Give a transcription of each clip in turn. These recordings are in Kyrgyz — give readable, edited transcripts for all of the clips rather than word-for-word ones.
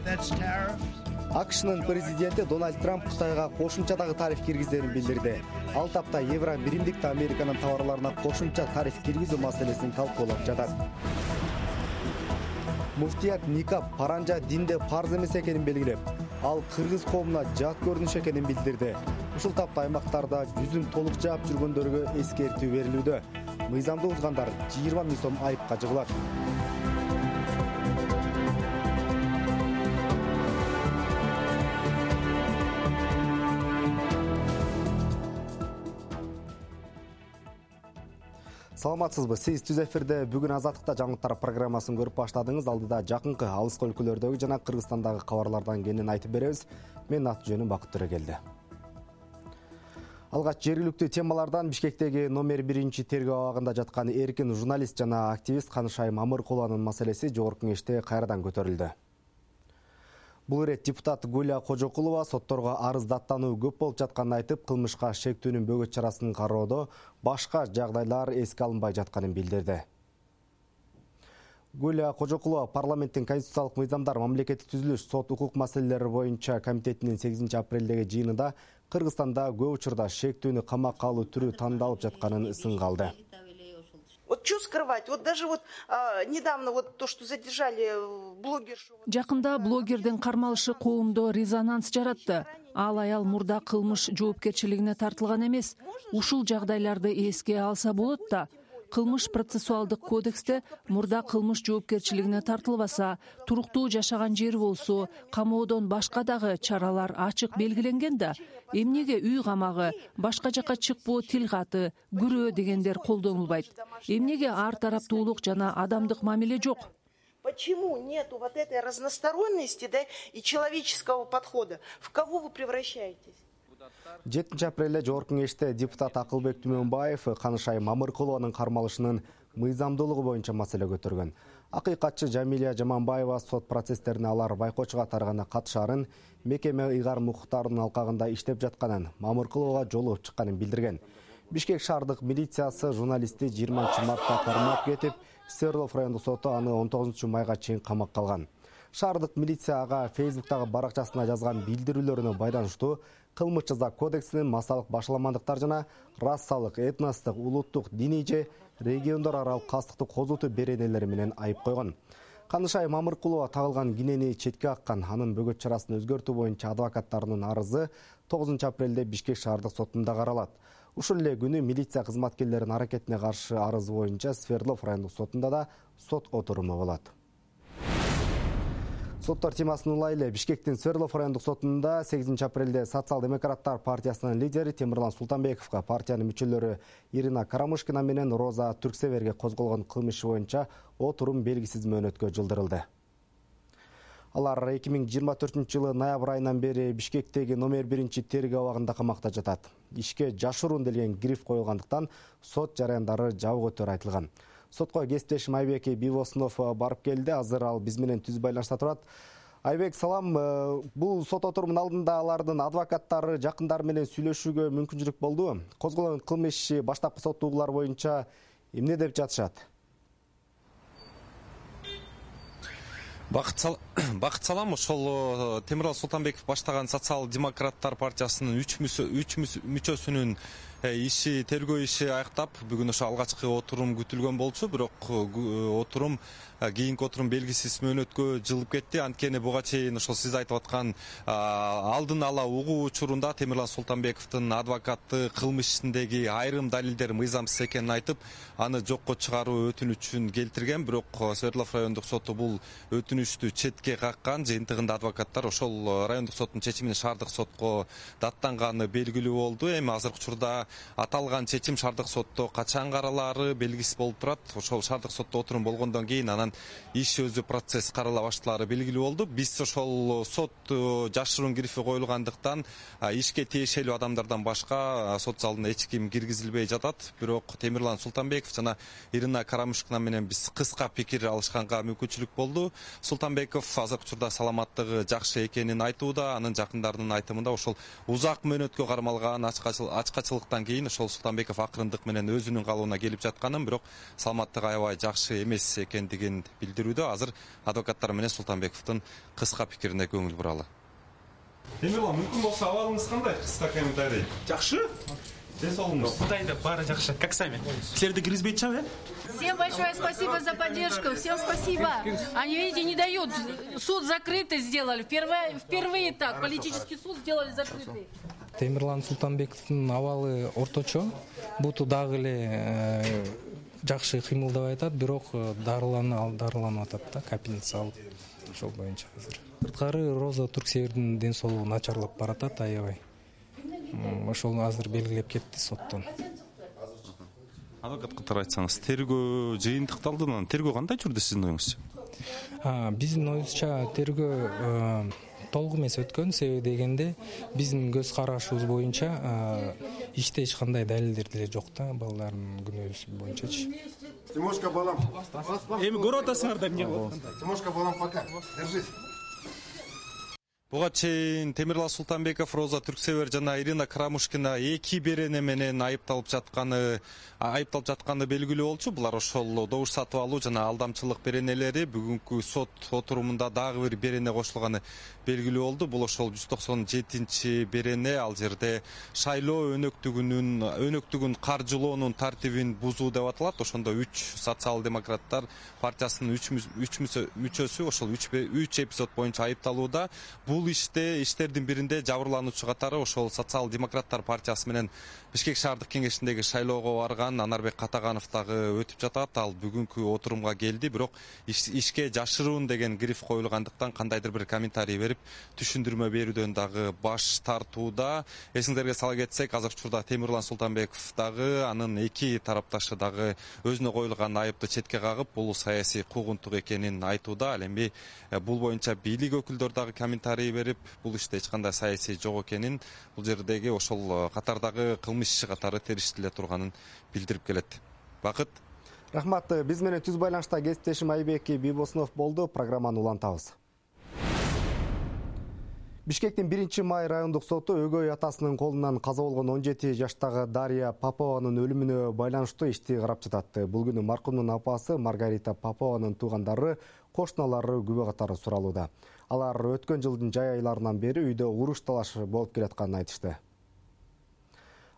АКШнын президенти Дональд Трамп Кытайга кошумча дагы тариф киргизерин билдирди. Ал тапта Евро биримдик Американын товарларына кошумча тариф киргизүү маселесин талкуулап жатат. Муфтият никап паранжа динде парз эмес экенин белгилеп, ал кыргыз коомуна жат көрүнүш экенин билдирди. Ушул тапта аймактарда жүзүн толук жаап жүргөндөргө эскертүү берилүүдө. Мыйзамды бузгандар 20 000 сом айыпка жыгылат. Саламатсызбы? Сиз түз эфирде бүгүн Азаттыкта жаңылыктар программасын көрүп баштадыңыз. Алдыда жакынкы алыскы өлкөлөрдөгү жана Кыргызстандагы кабарлардан кенен айтып беребиз. Мен аты-жөнүм Бакыт Төрөгелди. Алгач жергиликтүү темалардан Бишкектеги номер 1 тергөө абагында жаткан эркин журналист жана активист Канышай Мамыркулованын маселеси жогорку кеңеште кайрадан көтөрүлдү. Бул ирет депутат Гуля Кожокулова сотторго арыз даттануу көп болуп жатканын айтып, кылмышка шектүүнүн бөгөт чарасын кароодо башка жагдайлар эске алынбай жатканын билдирди. Гуля Кожокулова парламенттин конституциялык мыйзамдар, мамлекеттик түзүлүш, сот укук маселелери боюнча комитетинин 8 апрелдеги жыйынында Кыргызстанда көп учурда шектүүнү камакка алуу түрү тандалып жатканын сынга алды. Вот что скрывать? Вот даже недавно то, что задержали блогершу. Жакында блогердин кармалышы коомдо резонанс жаратты. Ал аял мурда кылмыш жоопкерчилигине тартылган эмес. Ушул жагдайларды эске алса болот да. Кылмыш процессуалдык кодексте мурда кылмыш жоопкерчилигине тартылбаса, туруктуу жашаган жери болсо, камоодон башка дагы чаралар ачык белгиленген да. Эмнеге үй камагы, башка жака чыкпоо тил каты, күрөө дегендер колдонулбайт? Эмнеге ар тараптуулук жана адамдык мамиле жок? Почему нету вот этой разносторонности, да, и человеческого подхода? В кого вы превращаетесь? 7 апрелде жогорку кеңеште депутат Акылбек Түмөнбаев Канышай Мамыркулованын кармалышынын мыйзамдуулугу боюнча маселе көтөргөн. Акыйкатчы Жамилия Жаманбаева сот процесстерине алар байкоочуга таргана катышарын, мекеме ыйгар укуктарынын алкагында иштеп жатканын, Мамыркулова жолугуп чыкканын билдирген. Бишкек шаардык милициясы журналистти 20 мартта кармап кетип, Свердлов райондук соту аны 19 майга чейин камакка алган. Шаардык милиция ага Фейсбуктагы баракчасына жазган билдирүүлөрүнө байланыштуу кылмыш жаза кодексинин массалык башаламандыктар жана расалык, этностук, улуттук, диний же региондор аралык кастыктуу козутуу беренелери менен айып койгон. Канышай Мамыркулова тагылган кинени четке каккан. Анын бөгөт чарасын өзгөртүү боюнча адвокаттарынын арызы 9 апрелде Бишкек шаардык сотунда каралат. Ушул эле күнү милиция кызматкерлеринин аракетине каршы арыз боюнча Свердлов райондук сотунда да сот отуруму болот. Соттор темасын улайлы. Бишкектин Свердлов райондук сотунда 8 апрелде Социал-демократтар партиясынын лидери Темирлан Султанбековго партиянын мүчөлөрү Ирина Карамышкина менен Роза Түрксеверге козголгон кылмыш боюнча отурум белгисиз мөөнөткө жылдырылды. Алар 2024-жылы ноябрь айынан бери Бишкектеги номер 1 тергөө абагында камакта жатат. Ишке жашыруун делген гриф коюлгандыктан сот жараяндары жабык өтөрү айтылган. Сотко кесиптешим Айбек Бивоснов барып келди. Азыр ал биз менен түз байланышта турат. Айбек, салам. Бул сот отурумунун алдында алардын адвокаттары жакындары менен сүйлөшүүгө мүмкүнчүлүк болду. Козголгон кылмыш баштапкы соттуулар боюнча эмне деп жатышат? Бакыт салам. Ошол Темирлан Султанбеков баштаган Социал-демократтар партиясынын 3 мүчөсүнүн иши, тергөө иши аяктап, бүгүн ошо алгачкы отурум күтүлгөн болчу, бирок отурум кийинки отурум белгисиз мөөнөткө жылып кетти. Анткени буга чейин ошол сиз айтып аткан алдын ала угуу учурунда Темирлан Султанбековдун адвокаты кылмыш ишиндеги айрым далилдер мыйзамсыз экенин айтып, аны жокко чыгаруу өтүнүчүн келтирген, бирок Свердлов райондук соту бул өтүнүчтү четке каккан. Жыйынтыгында адвокаттар ошол райондук соттун чечимин шаардык сотко даттанганы белгилүү болду. Эми азыркы учурда аталган чечим шаардык сотто качан каралаары белгисиз болуп турат. Ошол шаардык сотто отурум болгондон кийин анан иш өзү процесс карала башталаары белгилүү болду. Биз ошол сот жашыруун грифи коюлгандыктан ишке тиешелүү адамдардан башка сот залына эч ким киргизилбей жатат. Бирок Темирлан Султанбеков жана Ирина Карамышкина менен биз кыска пикир алышканга мүмкүнчүлүк болду. Султанбеков азыркы учурда саламаттыгы жакшы экенин айтууда. Анын жакындарынын айтымында ошол узак мөөнөткө кармалган ачкачылыктан андан кийин ошол Султанбеков акырындык менен өзүнүн калыбына келип жатканын, бирок саламаттыгы аябай жакшы эмес экендигин билдирүүдө. Азыр адвокаттар менен Султанбековдун кыска пикирине көңүл буралы. Темирлан, мүмкүн болсо абалыңыз кандай? Кыска комментарий. Жакшы. Ден соолугуңуз. Кудайда баары жакшы. Как сами? Силерди киргизбейт чабы? Всем большое спасибо за поддержку. Всем спасибо. Они, видите, не дают. Суд закрытый сделали. Впервые так. Политический суд сделали закрытый. Темирлан Султанбековдун абалы орточо. Буту дагы эле жакшы кыймылдап атат, бирок дарыланып атат да, капельница алып. Ошол боюнча азыр. Сырткары Роза Түрксевердин ден соолугу начарлап баратат аябай. Ошол азыр белгилеп кетти соттон. Адвокат катары айтсаңыз, тергөө жыйынтыкталды, тергөө кандай жүрдү сиздин оюңузча? Биздин оюбузча тергөө толук эмес өткөн. Себеби дегенде биздин көз карашыбыз боюнча иште эч кандай далилдер деле жок да, балдардын күнөөсү боюнчачы. Тимошка, балам. Эми көрүп атасыңар да эмне кылып? Тимошка, балам, пока. Держись. Буга чейин Темирлан Султанбеков, Роза Түрксевер жана Ирина Карамушкина 2 берене менен айыпталып жатканы белгилүү болчу. Булар ошол добуш сатып алуу жана алдамчылык беренелери. Бүгүнкү сот отурумунда дагы бир берене кошулганы белгилүү болду. Бул ошол 197 берене. Ал жерде шайлоо өнөктүгүн каржылоонун тартибин бузуу деп аталат. Ошондо 3 социал-демократтар партиясынын 3 мүчөсү ошол 3 эпизод боюнча айыпталууда. Бул иштердин биринде жабырлануучу катары ошол социал-демократтар партиясы менен Бишкек шаардык кеңешиндеги шайлоого барган Анарбек Катаганов дагы өтүп жатат. Ал бүгүнкү отурумга келди, бирок ишке жашыруун деген гриф коюлгандыктан кандайдыр бир комментарий берип, түшүндүрмө берүүдөн дагы баш тартууда. Эсиңерге сала кетсек, азыркы учурда Темирлан Султанбеков дагы, анын 2 тарапташы дагы өзүнө коюлган айыпты четке кагып, бул саясий куугунтук экенин айтууда. Ал эми бул боюнча бийлик өкүлдөрү дагы комментарий берип, бул иште эч кандай саясий жок экенин, бул жердеги ошол катардагы кылмыш иши катары териштиле турганын билдирип келет. Бакыт. Рахмат. Биз менен түз байланышта кесиптешим Айбек Бибосунов болду. Программаны улантабыз. Бишкектин 1-май райондук соту өгөй атасынын колунан каза болгон 17 жаштагы Дарья Попованын өлүмүнө байланыштуу ишти карап жатат. Бул күнү маркумдун апасы Маргарита Попованын туугандары, кошуналары күбө катары суралууда. Алар өткөн жылдын жай айларынан бери үйдө уруш талаш болуп келатканын айтышты.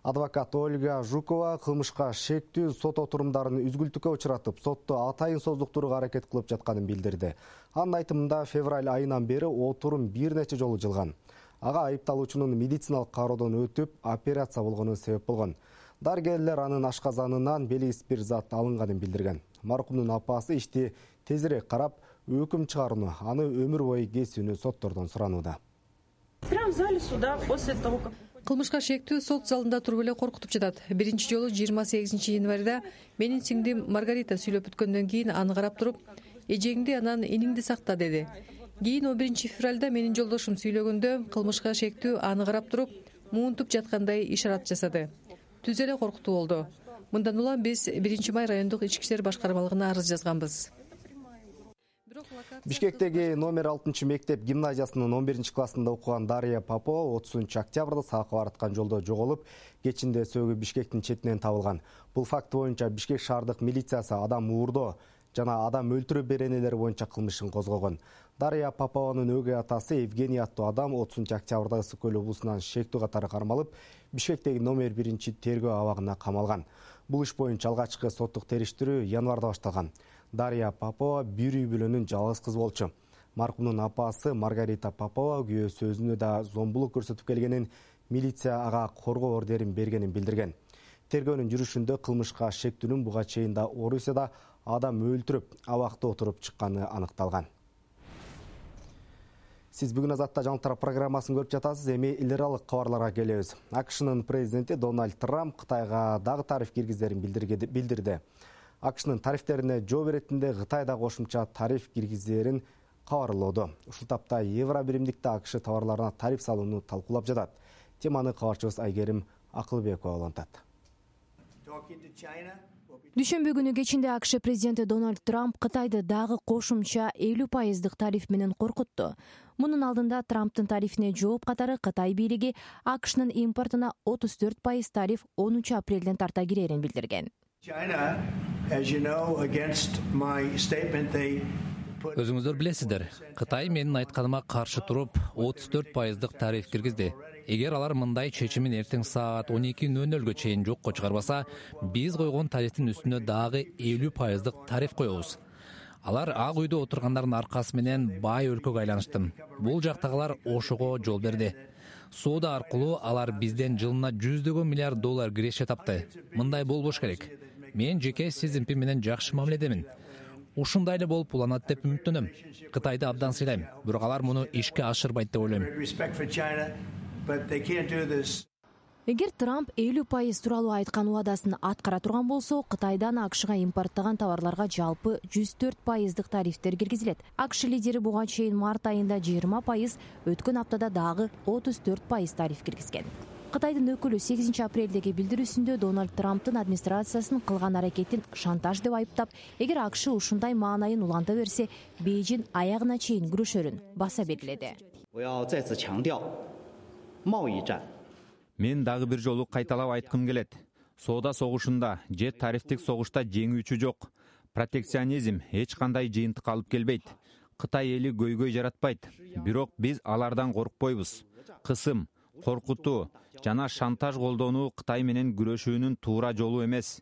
Адвокат Ольга Жукова кылмышка шектүү сот отурумдарын үзгүлтүккө учуратып, сотто атайын создуктурууга аракет кылып жатканын билдирди. Анын айтымында февраль айынан бери отурум бир нече жолу жылган. Ага айыпталуучунун медициналык кароодон өтүп, операция болгону себеп болгон. Дарыгерлер анын ашказанынан белгисиз бир зат алынганын билдирген. Маркумдун апасы ишти тезирээк карап, өкүм чыгарууну, аны өмүр бою кесүүнү соттордон суранууда. Прямо в зале суда после того, как... Кылмышка шектүү сот залында туруп эле коркутуп жатат. Биринчи жолу 28 январда менин сиңдим Маргарита сүйлөп бүткөндөн кийин аны карап туруп, эжеңди анан иниңди сакта деди. Кийин 11 февралда менин жолдошум сүйлөгөндө кылмышка шектүү аны карап туруп, муунтуп жаткандай ишарат жасады. Түз эле коркутуу болду. Мындан улам биз 1-май райондук ички иштер башкармалыгына арыз жазганбыз. Бишкектеги номер 6 мектеп гимназиясынын 11-классында окуган Дарья Попова 30-октябрда саакка бараткан жолдо жоголуп, кечинде сөөгү Бишкектин четинен табылган. Бул факт боюнча Бишкек шаардык милициясы адам уурдоо жана адам өлтүрүү беренелери боюнча кылмышын козгогон. Дарья Попованын өгөй атасы Евгений аттуу адам 30-октябрда Ысык көл облусунан шектүү катары кармалып, Бишкектеги номер 1 тергөө абагына камалган. Бул иш боюнча алгачкы соттук териштирүү январда башталган. Дарья Попова бир үй бүлөнүн жалгыз кызы болчу. Маркумдун апасы Маргарита Попова күйөөсү өзүнө да зомбулук көрсөтүп келгенин, милиция ага коргоо ордерин бергенин билдирген. Тергөөнүн жүрүшүндө кылмышка шектүүнүн буга чейин да Орусияда адам өлтүрүп, абакта отуруп чыкканы аныкталган. Сиз бүгүн Азатта жаңылыктар программасын көрүп жатасыз. Эми эл аралык кабарларга келебиз. AQShnын президенти Дональд Трамп Кытайга дагы тариф киргизерин билдирди. AQShnын тарифтерине жооп иретинде Кытай да кошумча тариф киргизерин кабарлоодо. Ушул тапта Евро биримдикте AQSh товарларына тариф салууну талкуулап жатат. Теманы кабарчыбыз Айгерим Акылбекова улантат. Дүйшөмбү күнү кечинде АКШ президенти Дональд Трамп Кытайды дагы кошумча 50% тариф менен коркутту. Мунун алдында Трамптын тарифине жооп катары Кытай бийлиги АКШнын импортуна 34% тариф 10 апрелден тарта кирерин билдирген. Өзүңүздөр билесиздер, Кытай менин айтканыма каршы туруп 34% тариф киргизди. Эгер алар мындай чечимин эртең саат 12:00 чейин жокко чыгарбаса, биз койгон тарифтин үстүнө дагы 50% тариф коебуз. Алар Ак үйдө отургандардын аркасы менен бай өлкөгө айланышты. Бул жактагылар ошого жол берди. Соода аркылуу алар бизден жылына $100 миллиард киреше тапты. Мындай болбош керек. Мен жеке Си Цзиньпин менен жакшы мамиледемин. Ушундай эле болуп уланат деп үмүттөнөм. Кытайды абдан сыйлайм, бирок алар муну ишке ашырбайт деп ойлойм. Эгер Трамп 50% тууралуу айткан убадасын аткара турган болсо, Кытайдан АКШга импорттогон товарларга жалпы 104% тарифтер киргизилет. АКШ лидери буга чейин март айында 20%, өткөн аптада дагы 34% тариф киргизген. Кытайдын өкүлү 8 апрелдеги билдирүүсүндө Дональд Трамптын администрациясынын кылган аракетин шантаж деп айыптап, эгер АКШ ушундай маанайын уланта берсе, Бейжин аягына чейин күрөшөрүн баса белгиледи. Мен дагы бир жолу кайталап айткым келет. Соода согушунда же тарифтик согушта жеңүүчү жок. Протекционизм эч кандай жыйынтык алып келбейт. Кытай эли көйгөй жаратпайт. Бирок биз алардан коркпойбуз. Кысым, коркутуу жана шантаж колдонуу Кытай менен күрөшүүнүн туура жолу эмес.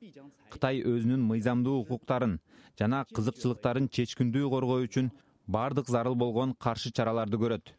Кытай өзүнүн мыйзамдуу укуктарын жана кызыкчылыктарын чечкиндүү коргоо үчүн бардык зарыл болгон каршы чараларды көрөт.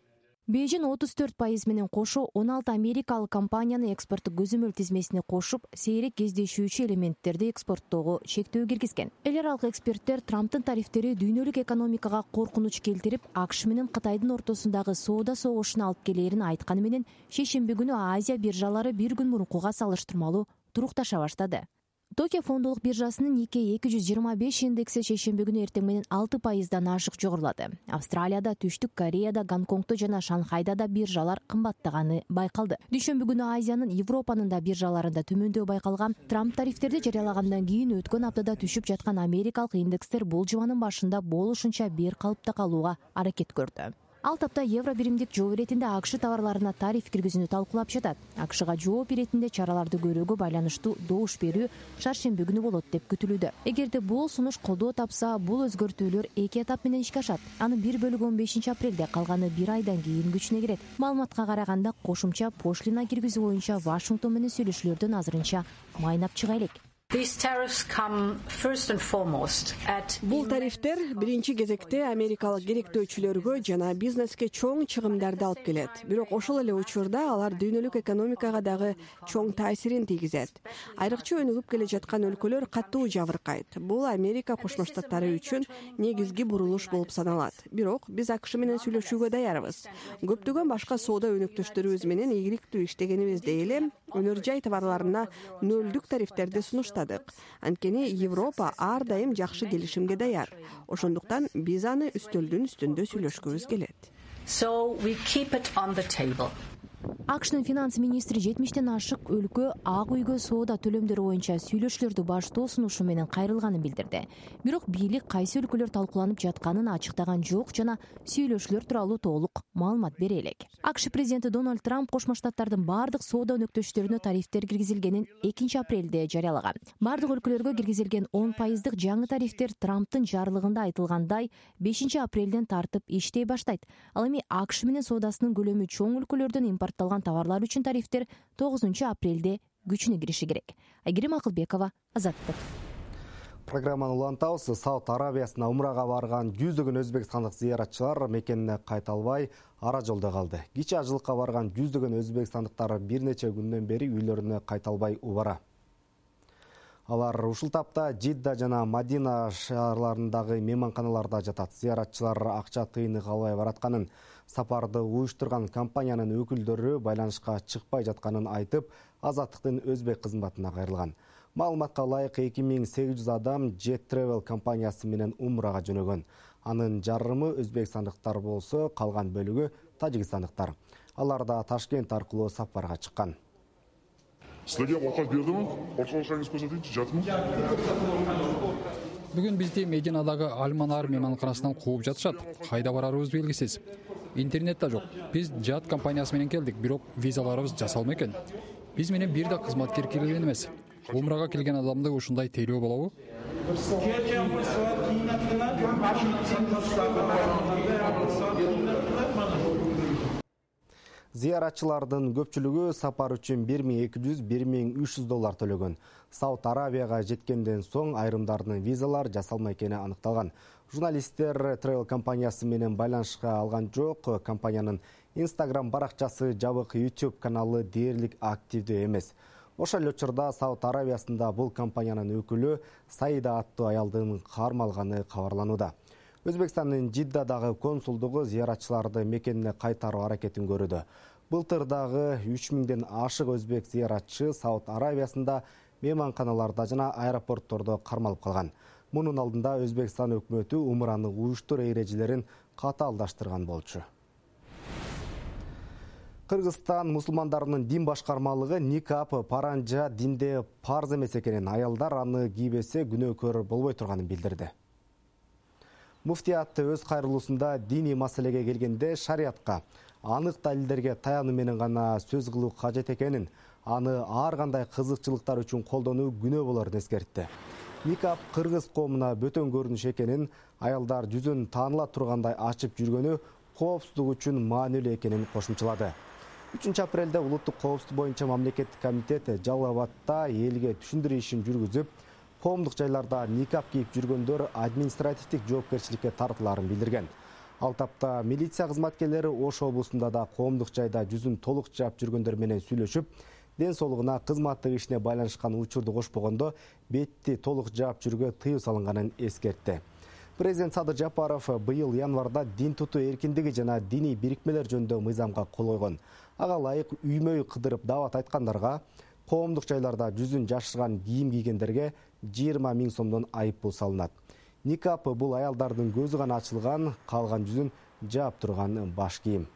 Бейжин 34% менен кошо 16 америкалык компанияны экспорттук көзөмөл тизмесине кошуп, сейрек кездешүүчү элементтерди экспорттоого чектөө киргизген. Эл аралык эксперттер Трамптын тарифтери дүйнөлүк экономикага коркунуч келтирип, АКШ менен Кытайдын ортосундагы соода согушуна алып келерин айтканы менен, шейшемби күнү Азия биржалары бир күн мурункуга салыштырмалуу турукташа баштады. Токио фондолук биржасынын Nikkei 225 индекси шейшемби күнү эртең менен 6%дан ашык жогорулады. Австралияда, Түштүк Кореяда, Гонконгдо жана Шанхайда да биржалар кымбаттаганы байкалды. Дүйшөмбү күнү Азиянын, Европанын да биржаларында төмөндөө байкалган. Трамп тарифтерди жарыялагандан кийин өткөн аптада түшүп жаткан америкалык индекстер бул жуманын башында болушунча бир калыпта калууга аракет көрдү. Ал тапта евро биримдик жооп иретинде АКШ товарларына тариф киргизүүнү талкуулап жатат. АКШга жооп иретинде чараларды көрүүгө байланыштуу добуш берүү шаршемби күнү болот деп күтүлүүдө. Эгерде бул сунуш колдоо тапса, бул өзгөртүүлөр 2 этап менен ишке ашат. Анын бир бөлүгү 15 апрелде, калганы 1 айдан кийин күчүнө кирет. Маалыматка караганда, кошумча пошлина киргизүү боюнча Вашингтон менен сүйлөшүүлөрдөн азырынча майнап чыга элек. Бул тарифтер биринчи кезекте америкалык керектөөчүлөргө жана бизнеске чоң чыгымдарды алып келет. Бирок ошол эле учурда алар дүйнөлүк экономикага дагы чоң таасирин тийгизет. Айрыкча өнүгүп келе жаткан өлкөлөр катуу жабыркайт. Бул Америка Кошмо Штаттары үчүн негизги бурулуш болуп саналат. Бирок биз АКШ менен сүйлөшүүгө даярбыз. Көптөгөн башка соода өнөктөштөрүбүз менен ийгиликтүү иштегенибизде эле өнөр жай товарларына нөлдүк тарифтерди сунуштадык. Анткени Европа ар дайым жакшы келишимге даяр. Ошондуктан биз аны үстөлдүн үстүндө сүйлөшкүбүз келет. АКШнын финанс министри 70тен ашык өлкө Ак үйгө соода төлөмдөрү боюнча сүйлөшүүлөрдү баштоо сунушу менен кайрылганын билдирди. Бирок бийлик кайсы өлкөлөр талкууланып жатканын ачыктаган жок жана сүйлөшүүлөр тууралуу толук маалымат бере элек. АКШ президенти Дональд Трамп Кошмо Штаттардын бардык соода өнөктөштөрүнө тарифтер киргизилгенин 2 апрелде жарыялаган. Бардык өлкөлөргө киргизилген 10% жаңы тарифтер Трамптын жарлыгында айтылгандай 5 апрелден тартып иштей баштайт. Ал эми АКШ менен соодасынын көлөмү чоң өлкөлөрдөн импортталган товарлар үчүн тарифтер 9 апрелде күчүнө кириши керек. Айгерим Акылбекова, Азаттык. Программаны улантабыз. Сауд Арабиясына умрага барган жүздөгөн өзбекстандык зыяратчылар мекенине кайта албай ара жолдо калды. Кичи ажылыкка барган жүздөгөн өзбекстандыктар бир нече күндөн бери үйлөрүнө кайта албай убара. Алар ушул тапта Жидда жана Мадина шаарларындагы мейманканаларда жатат. Зыяратчылар акча тыйынык албай баратканын, сапарды уюштурган компаниянын өкүлдөрү байланышка чыкпай жатканын айтып, Азаттыктын өзбек кызматына кайрылган. Маалыматка ылайык 2800 адам Jet Travel компаниясы менен умрага жөнөгөн. Анын жарымы өзбекстандыктар болсо, калган бөлүгү тажикстандыктар. Алар да Ташкент аркылуу сапарга чыккан. Силерге оокат бердимби? Коркобосоңуз көрсөтүңүзчү, жатмы? Бүгүн бизди Мединадагы Альманар мейманканасынан кууп жатышат. Кайда барарыбыз белгисиз. Интернет да жок. Биз жат компаниясы менен келдик, бирок визаларыбыз жасалма экен. Биз менен бир да кызматкер кирген эмес. Умрага келген адамды ушундай тейлөө болобу? Зыяратчылардын көпчүлүгү сапар үчүн $1200–1300 төлөгөн. Сауд Арабияга жеткенден соң айрымдардын визалар жасалмай экени аныкталган. Журналисттер Travel компаниясы менен байланышка алган жок. Компаниянын Instagram баракчасы, жабык YouTube каналы дээрлик активдүү эмес. Ошол учурда Сауд Арабиясында бул компаниянын өкүлү Саида аттуу аялдын кармалганы кабарланууда. Өзбекстандын Жиддадагы консулдугу зыяратчыларды мекенине кайтаруу аракетин көрүүдө. Былтыр дагы 3000ден ашык өзбек зыяратчы Сауд Арабиясында мейманканаларда жана аэропорттордо кармалып калган. Мунун алдында Өзбекстан өкмөтү умраны уюштуруу эрежелерин катаалдаштырган болчу. Кыргызстан мусулмандарынын дин башкармалыгы никап паранжа динде парз эмес экенин, аялдар аны кийбесе күнөөкөр болбой турганын билдирди. Муфтият өз кайрылуусунда диний маселеге келгенде шариатка, анык далилдерге таянуу менен гана сөз кылуу кажет экенин, аны ар кандай кызыкчылыктар үчүн колдонуу күнөө болорун эскертти. Никап кыргыз коомуна бөтөн көрүнүш экенин, аялдар жүзүн тааныла тургандай ачып жүргөнү коопсуздук үчүн маанилүү экенин кошумчалады. 3-апрелде улуттук коопсуздук боюнча мамлекеттик комитет Жалал Абадда элге түшүндүрүү ишин жүргүзүп, коомдук жайларда никап кийип жүргөндөр административдик жоопкерчиликке тартыларын билдирген. Ал тапта милиция кызматкерлери Ош облусунда да коомдук жайда жүзүн толук жаап жүргөндөр менен сүйлөшүп, ден соолугуна, кызматтык ишине байланышкан учурду кошпогондо бетти толук жаап жүрүүгө тыюу салынганын эскертти. Президент Садыр Жапаров быйыл январда дин тутуу эркиндиги жана диний бирикмелер жөнүндө мыйзамга кол койгон. Ага ылайык үймөй кыдырып даават айткандарга, коомдук жайларда жүзүн жашырган кийим кийгендерге 20 000 сомдон айыппул салынат. Никап бул аялдардын көзү гана ачылган, калган жүзүн жаап турган баш кийим.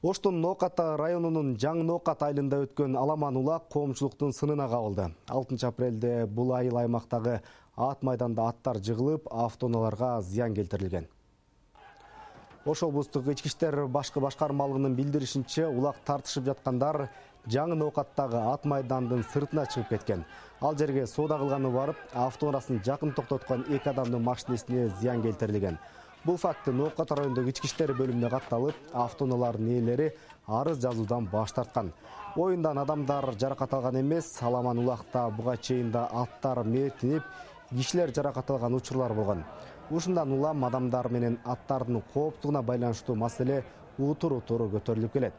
Оштун Ноокат районунун Жаңы Ноокат айылында өткөн аламан улак коомчулуктун сынына кабылды. 6 апрелде бул айыл аймактагы ат майданда аттар жыгылып, автоунааларга зыян келтирилген. Ош облустук ички иштер башкармалыгынын билдиришинче, улак тартышып жаткандар Жаңы Ноокаттагы ат майдандын сыртына чыгып кеткен. Ал жерге соода кылганы барып, автоунаасын жакын токтоткон 2 адамдын машинесине зыян келтирилген. Бул факты Ноокат райондук ички иштер бөлүмүнө катталып, автоунаалардын ээлери арыз жазуудан баш тарткан. Оюндан адамдар жаракат алган эмес, аламан улакта буга чейин да аттар мертинип, кишилер жаракат алган учурлар болгон. Ушундан улам адамдар менен аттардын коопсуздугуна байланыштуу маселе утур-утур көтөрүлүп келет.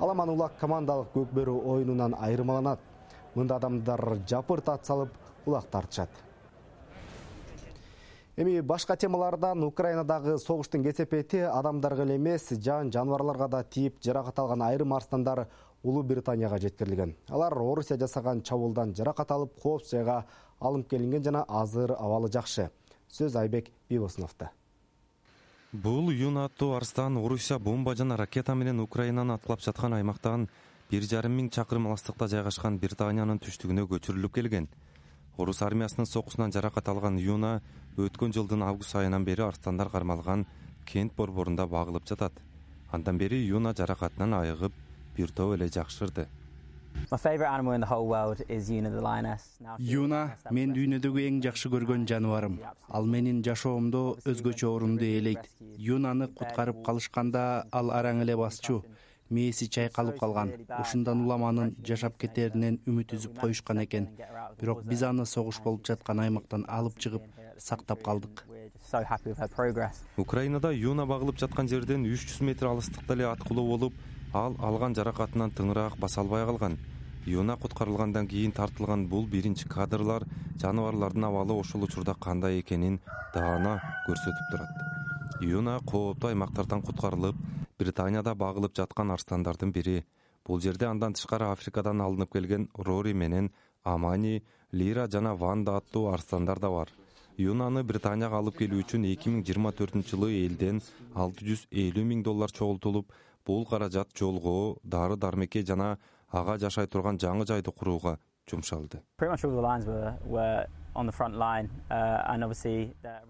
Аламан улак командалык көкбөрү оюнунан айырмаланат. Мында адамдар жапырт ат салып, улак тартышат. Эми башка темалардан Украинадагы согуштун кесепети адамдарга эле эмес, жаныбарларга да тийип жаракат алган айрым арстандар Улуу Британияга жеткирилген. Алар Орусия жасаган чабуулдан жаракат алып, коопсуз жайга алынып келинген жана азыр абалы жакшы. Сөз Айбек Бибосуновдо. Бул Юна аттуу арстан Орусия бомба жана ракета менен Украинаны аткылап жаткан аймактан 1,5 миң чакырым алыстыкта жайгашкан Британиянын түштүгүнө көчүрүлүп келген. Орус армиясынын сокусунан жаракат алган Юна өткөн жылдын август айынан бери арстандар кармалган кент борборунда багылып жатат. Андан бери Юна жаракатынан айыгып, бир топ эле жакшырды. Юна мен дүйнөдөгү эң жакшы көргөн жаныбарым. Ал менин жашоомдо өзгөчө орунду ээлейт. Юнаны куткарып калышканда ал араң эле басчу. Мээси чайкалып калган. Ушундан улам анын жашап кетеринен үмүт үзүп коюшкан экен. Бирок биз аны согуш болуп жаткан аймактан алып чыгып, сактап калдык. Украинада Юна багылып жаткан жерден 300 метр алыстыкта эле аткылуу болуп, ал алган жаракатынан тыңыраак баса албай калган. Юна куткарылгандан кийин тартылган бул биринчи кадрлар жаныбарлардын абалы ошол учурда кандай экенин даана көрсөтүп турат. Юна кооптуу аймактардан куткарылып, Британияда багылып жаткан арстандардын бири. Бул жерде андан тышкары Африкадан алынып келген Рори менен Амани, Лира жана Ванда аттуу арстандар да бар. Юнаны Британияга алып келүү үчүн 2024 жылы элден $650 000 чогултулуп, бул каражат жолго, дары дармекке жана ага жашай турган жаңы жайды курууга жумшалды.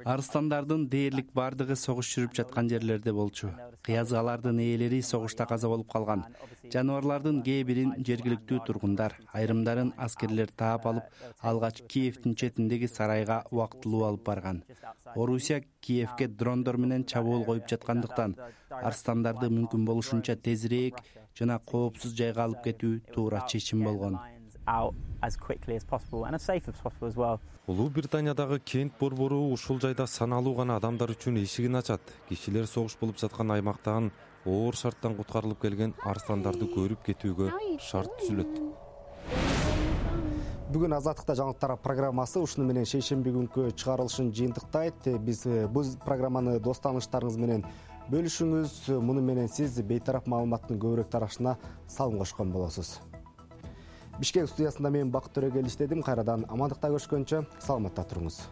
Арыстандардын дээрлик бардыгы согуш жүрүп жаткан жерлерде болчу. Кыязгалардын ээлери согушта каза болуп калган. Жаныбарлардын кээ бирин жергиликтүү тургундар, айрымдарын аскерлер таап алып, алгач Киевдин четиндеги сарайга убактылуу алып барган. Орусия Киевге дрондор менен чабуул коюп жаткандыктан арыстандарды мүмкүн болушунча тезирээк жана коопсуз жайга алып кетүү туура чечим болгон. Улуу Британиядагы кент борбору ушул жайда саналуу гана адамдар үчүн эшигин ачат. Кишилер согуш болуп жаткан аймактан оор шарттан куткарылып келген арыстандарды көрүп кетүүгө шарт түзүлөт. Бүгүн Азаттыкта жаңылыктар программасы ушуну менен шейшемби күнкү чыгарылышын жыйынтыктайт. Биз бул программаны дос тааныштарыңыз менен бөлүшүңүз. Муну менен сиз бейтарап маалыматтын көбүрөөк тарашына салым кошкон болосуз. Бишкек студиясында мен Бакыт Төрөгел иштедим. Кайрадан амандыкта көрүшкөнчө саламатта туруңуз.